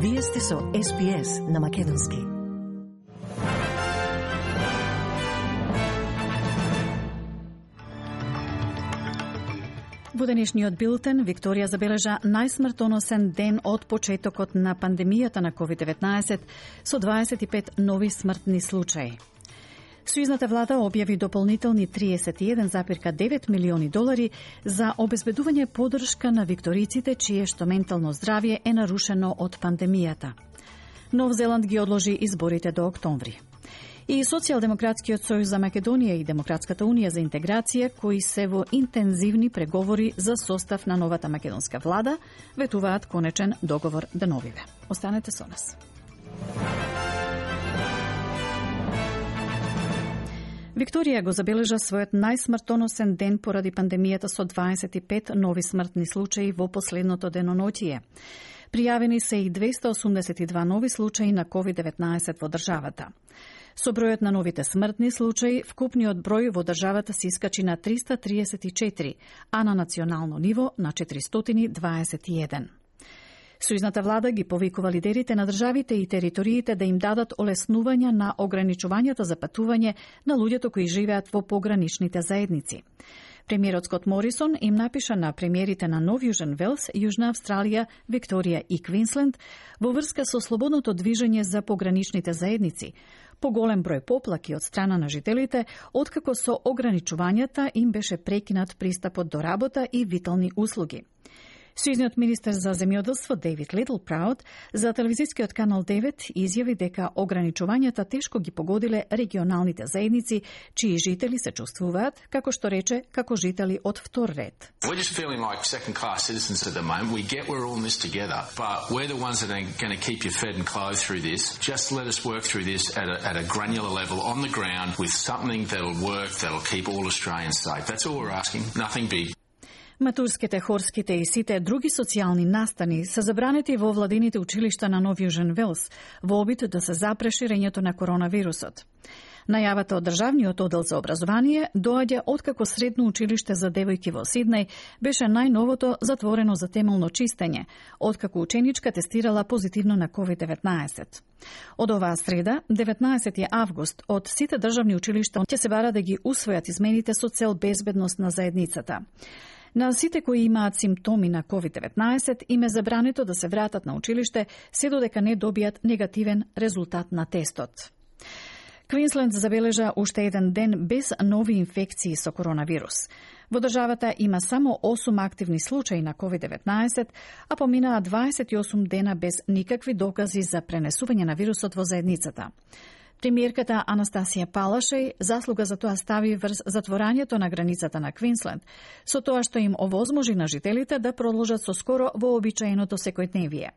Вие сте со SPS на Македонски. Во денешниот билтен, Викторија забележа најсмртоносен ден од почетокот на пандемијата на COVID-19 со 25 нови смртни случаи. Сојузната влада објави дополнителни $31,9 милиони за обезбедување поддршка на викториците чиешто ментално здравје е нарушено од пандемијата. Нов Зеланд ги одложи изборите до октомври. И Социјалдемократскиот сојуз за Македонија и Демократската унија за интеграција, кои се во интензивни преговори за состав на новата македонска влада, ветуваат конечен договор деновиве. Останете со нас. Викторија го забележа својот најсмртоносен ден поради пандемијата со 25 нови смртни случаи во последното деноноќие. Пријавени се и 282 нови случаи на COVID-19 во државата. Со бројот на новите смртни случаи, вкупниот број во државата се искачи на 334, а на национално ниво на 421. Сојузната влада ги повикува лидерите на државите и териториите да им дадат олеснувања на ограничувањата за патување на луѓето кои живеат во пограничните заедници. Премиерот Скот Морисон им напиша на премиерите на Нов Јужен Велс, Јужна Австралија, Викторија и Квинсленд во врска со слободното движење за пограничните заедници, поголем број поплаки од страна на жителите, откако со ограничувањата им беше прекинат пристапот до работа и витални услуги. Сојузниот министер за земјоделство Дейвид Литлпрауд за телевизискиот канал 9 изјави дека ограничувањата тешко ги погодиле регионалните заедници, чии жители се чувствуваат, како што рече, како жители од втор ред. We're just feeling like second-class citizens at the moment. We get we're all in this together, but we're the ones that are going to keep you fed and clothed through this. Just let us work through this at a granular level on the ground with something that'll work, that'll keep all Australians safe. That's all we're asking. Nothing big. Матурските, хорските и сите други социјални настани се забранети во владините училишта на Нов Јужен Велс во обид да се запре ширењето на коронавирусот. Најавата од Државниот оддел за образование доаѓа откако средно училиште за девојки во Сиднеј беше најновото затворено за темелно чистење, откако ученичка тестирала позитивно на COVID-19. Од оваа среда, 19 август, од сите државни училишта ќе се бара да ги усвојат измените со цел безбедност на заедницата. На сите кои имаат симптоми на COVID-19 им е забрането да се вратат на училиште се додека не добијат негативен резултат на тестот. Квинсленд забележа уште еден ден без нови инфекции со коронавирус. Во државата има само 8 активни случаи на COVID-19, а поминаа 28 дена без никакви докази за пренесување на вирусот во заедницата. Премиерката Анастасија Палашеј заслуга за тоа стави врз затворањето на границата на Квинсленд, со тоа што им овозможи на жителите да продолжат со скоро вообичаеното секојдневие.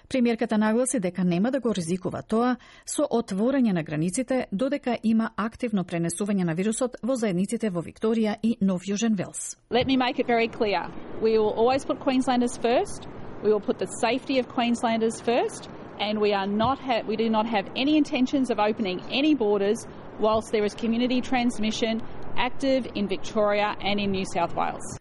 Премиерката нагласи дека нема да го ризикува тоа со отворање на границите додека има активно пренесување на вирусот во заедниците во Викторија и Нов Јужен Велс. Let me make it very clear. We will always put Queenslanders first. We will put the safety of Queenslanders first. And we do not have any intentions of opening any borders whilst there is community transmission active in Victoria and in New South Wales.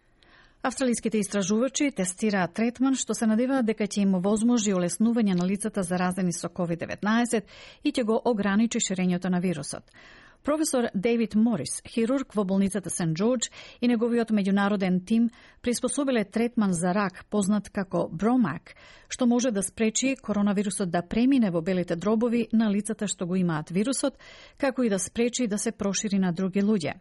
Австралиските истражувачи тестираат третман што се надеваат дека ќе им овозможи олеснување на лицата заразени со COVID-19 и ќе го ограничи ширењето на вирусот. Професор Дейвид Морис, хирург во болницата Сент Джордж и неговиот меѓународен тим приспособиле третман за рак познат како Бромак, што може да спречи коронавирусот да премине во белите дробови на лицата што го имаат вирусот, како и да спречи да се прошири на други луѓе.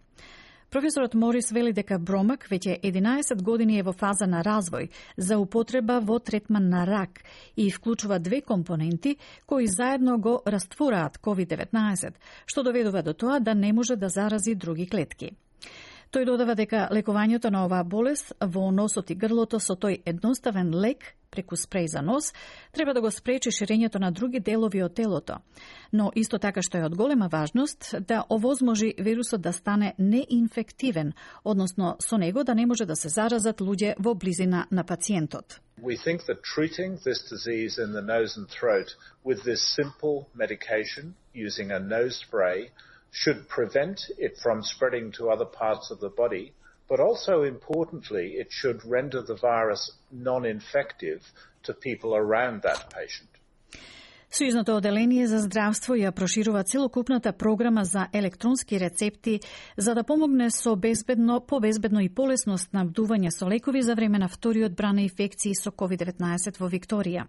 Професорот Морис вели дека Бромак веќе 11 години е во фаза на развој за употреба во третман на рак и вклучува две компоненти кои заедно го раствораат COVID-19, што доведува до тоа да не може да зарази други клетки. Тој додава дека лекувањето на оваа болест во носот и грлото со тој едноставен лек преку спреј за нос треба да го спречи ширењето на други делови од телото. Но исто така што е од голема важност да овозможи вирусот да стане неинфективен, односно со него да не може да се заразат луѓе во близина на пациентот. We think that treating this disease in the nose and throat with this simple medication using a nose spray should prevent it from spreading to other parts of the body, but also importantly, it should render the virus non-infective to people around that patient. Сојузното оделение за здравство ја проширува целокупната програма за електронски рецепти за да помогне со безбедно и полесно снабдување со лекови за време на вториот бран на инфекции со COVID-19 во Викторија.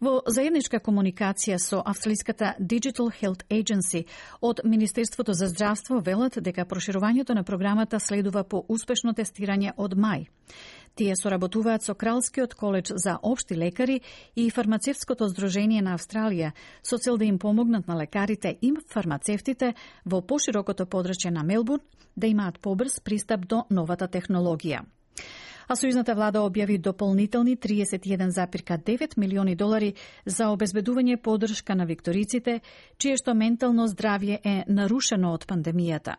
Во заедничка комуникација со австралиската Digital Health Agency од Министерството за здравство велат дека проширувањето на програмата следува по успешно тестирање од мај. Тие соработуваат со Кралскиот коледж за општи лекари и Фармацевтското здружение на Австралија со цел да им помогнат на лекарите и фармацевтите во поширокото подрачје на Мелбурн да имаат побрз пристап до новата технологија. А сојузната влада објави дополнителни $31,9 милиони за обезбедување поддршка на викториците, чие што ментално здравје е нарушено од пандемијата.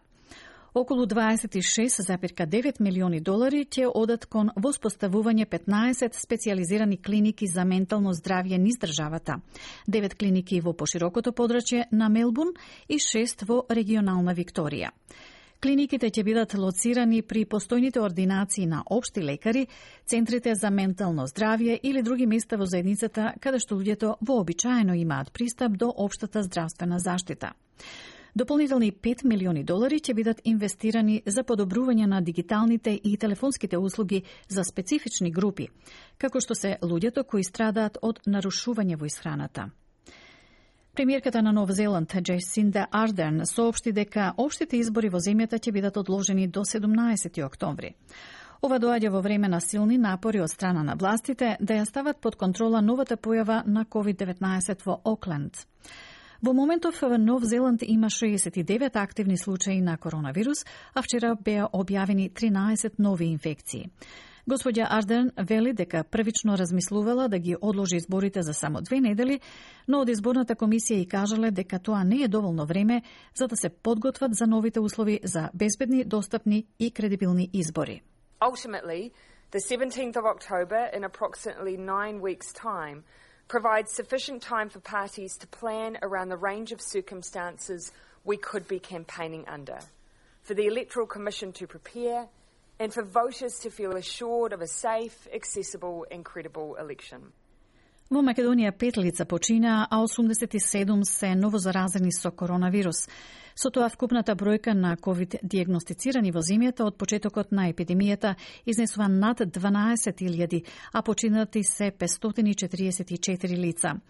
Околу $26,9 милиони ќе одат кон воспоставување 15 специјализирани клиники за ментално здравје низ државата, 9 клиники во поширокото подрачје на Мелбурн и 6 во регионална Викторија. Клиниките ќе бидат лоцирани при постојните ординации на општи лекари, центрите за ментално здравје или други места во заедницата каде што луѓето вообичаено имаат пристап до општата здравствена заштита. Дополнителни $5 милиони ќе бидат инвестирани за подобрување на дигиталните и телефонските услуги за специфични групи, како што се луѓето кои страдаат од нарушување во исхраната. Премиерката на Нов Зеланд, Джесинда Ардерн, соопшти дека општите избори во земјата ќе бидат одложени до 17 октомври. Ова доаѓа во време на силни напори од страна на властите да ја стават под контрола новата појава на COVID-19 во Окленд. Во моментов Нов Зеланд има 69 активни случаи на коронавирус, а вчера беа објавени 13 нови инфекции. Господја Ардерн вели дека првично размислувала да ги одложи изборите за само 2 недели, но од изборната комисија и кажале дека тоа не е доволно време за да се подготват за новите услови за безбедни, достапни и кредибилни избори. Ultimately, the 17th of October in approximately 9 weeks' time provides sufficient time for parties to plan around the range of circumstances we could be campaigning under, for the Electoral Commission to prepare, and for voters to feel assured of a safe, accessible and credible election. Во Македонија 5 лица починаа, а 87 се новозаразени со коронавирус. Со тоа вкупната бројка на ковид диагностицирани во земјата од почетокот на епидемијата изнесува над 12.000, а починати се 544 лица.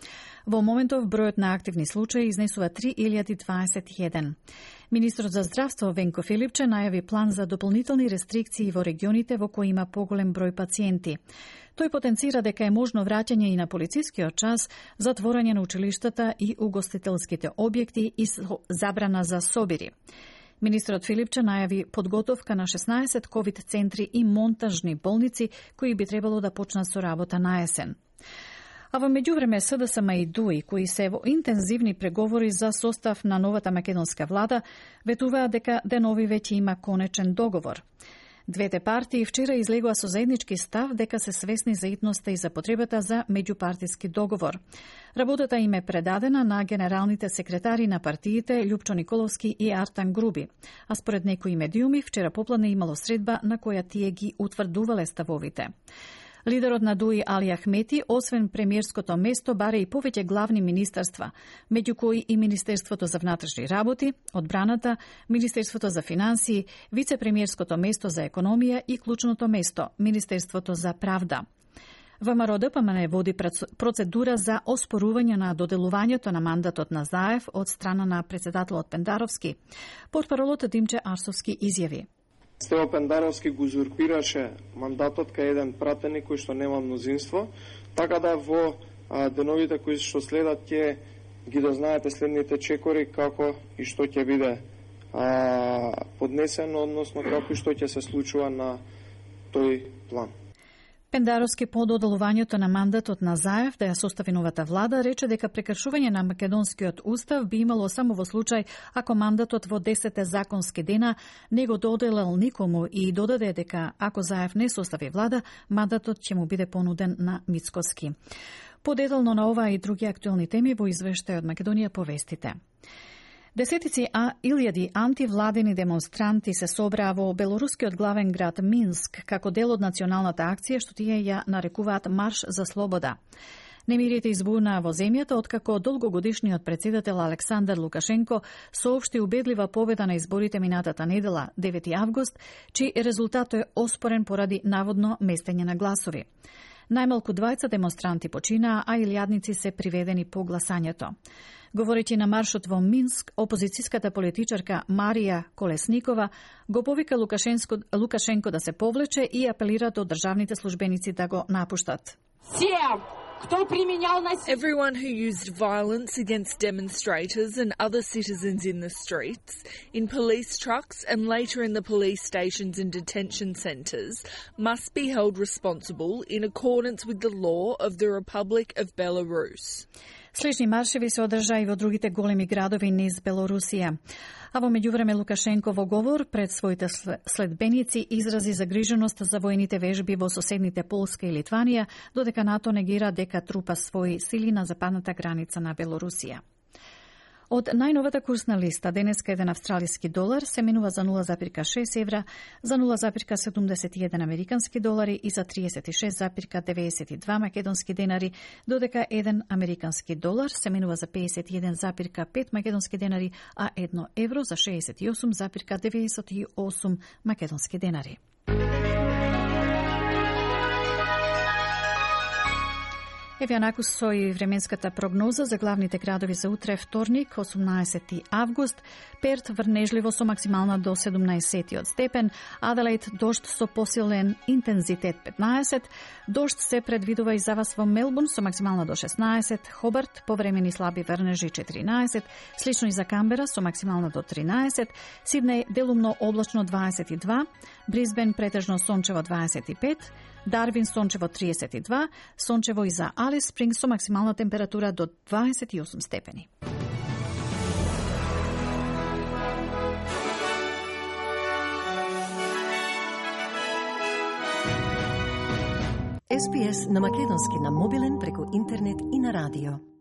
Во моментов бројот на активни случаи изнесува 3021. Министрот за здравство Венко Филипче најави план за дополнителни рестрикции во регионите во кои има поголем број пациенти. Тој потенцира дека е можно враќање и на полицискиот час, затворање на училиштата и угостителските објекти и забрана за собири. Министрот Филипче најави подготовка на 16 ковид центри и монтажни болници кои би требало да почнат со работа на есен. А во меѓувреме СДСМ и ДУИ, кои се во интензивни преговори за состав на новата македонска влада, ветуваат дека денови веќе има конечен договор. Двете партии вчера излегоа со заеднички став дека се свесни за итноста и за потребата за меѓупартиски договор. Работата им е предадена на генералните секретари на партиите Љупчо Николовски и Артан Груби, а според некои медиуми вчера попладне имало средба на која тие ги утврдувале ставовите. Лидерот на ДУИ Али Ахмети, освен премиерското место, баре и повеќе главни министерства, меѓу кои и Министерството за внатрешни работи, одбраната, Министерството за финансии, вице-премиерското место за економија и клучното место, Министерството за правда. ВМРО ДПМН води процедура за оспорување на доделувањето на мандатот на Заев од страна на председателот Пендаровски. Портпаролот Димче Арсовски изјави: Стево Пендаровски го узурпираше мандатот кај еден пратеник кој што нема мнозинство, така да во деновите кои што следат ќе ги дознаете следните чекори како и што ќе биде поднесено, односно како и што ќе се случува на тој план. Пендаровски по доделувањето на мандатот на Заев да ја состави новата влада рече дека прекршување на македонскиот устав би имало само во случај ако мандатот во 10 законски дена не го доделил никому и додаде дека ако Заев не состави влада, мандатот ќе му биде понуден на Мицкоски. Подетално на ова и други актуелни теми во извештај од Македонија повестите. Десетици илјади антивладени демонстранти се собраа во белорускиот главен град Минск како дел од националната акција што тие ја нарекуваат Марш за слобода. Немирите избуна во земјата откако долгогодишниот председател Александар Лукашенко соопшти убедлива победа на изборите минатата недела, 9 август, чиј резултат е оспорен поради наводно местење на гласови. Најмалку 20 демонстранти починаа, а илјадници се приведени по гласањето. Говорејќи на маршот во Минск, опозицијската политичарка Марија Колесникова го повика Лукашенко да се повлече и апелира до државните службеници да го напуштат. Everyone who used violence against demonstrators and other citizens in the streets, in police trucks and later in the police stations and detention centres must be held responsible in accordance with the law of the Republic of Belarus. Слични маршеви се одржаа и во другите големи градови низ Белорусија. А во меѓувреме Лукашенко во говор пред своите следбеници изрази загриженост за воените вежби во соседните Полска и Литванија, додека НАТО негира дека трупа своји сили на западната граница на Белорусија. Од најновата курсна листа, денеска еден австралиски долар се менува за 0,6 евра, за 0,71 американски долари и за 36,92 македонски денари, додека еден американски долар се менува за 51,5 македонски денари, а 1 евро за 68,98 македонски денари. Еве анаку со и временската прогноза за главните градови за утре, вторник, 18 август. Перт врнежливо со максимална до 17 степен, Аделаид дожд со посилен интензитет 15, дожд се предвидува и за вас во Мелбурн со максимална до 16, Хобарт повремени слаби врнежи 14, слично и за Камбера со максимална до 13, Сиднеј делумно облачно 22, Брисбен претежно сончево 25, Дарвин сончево 32, сончево и за Алис Спрингс со максимална температура до 28 степени. SPS на македонски на мобилен преку интернет и на радио.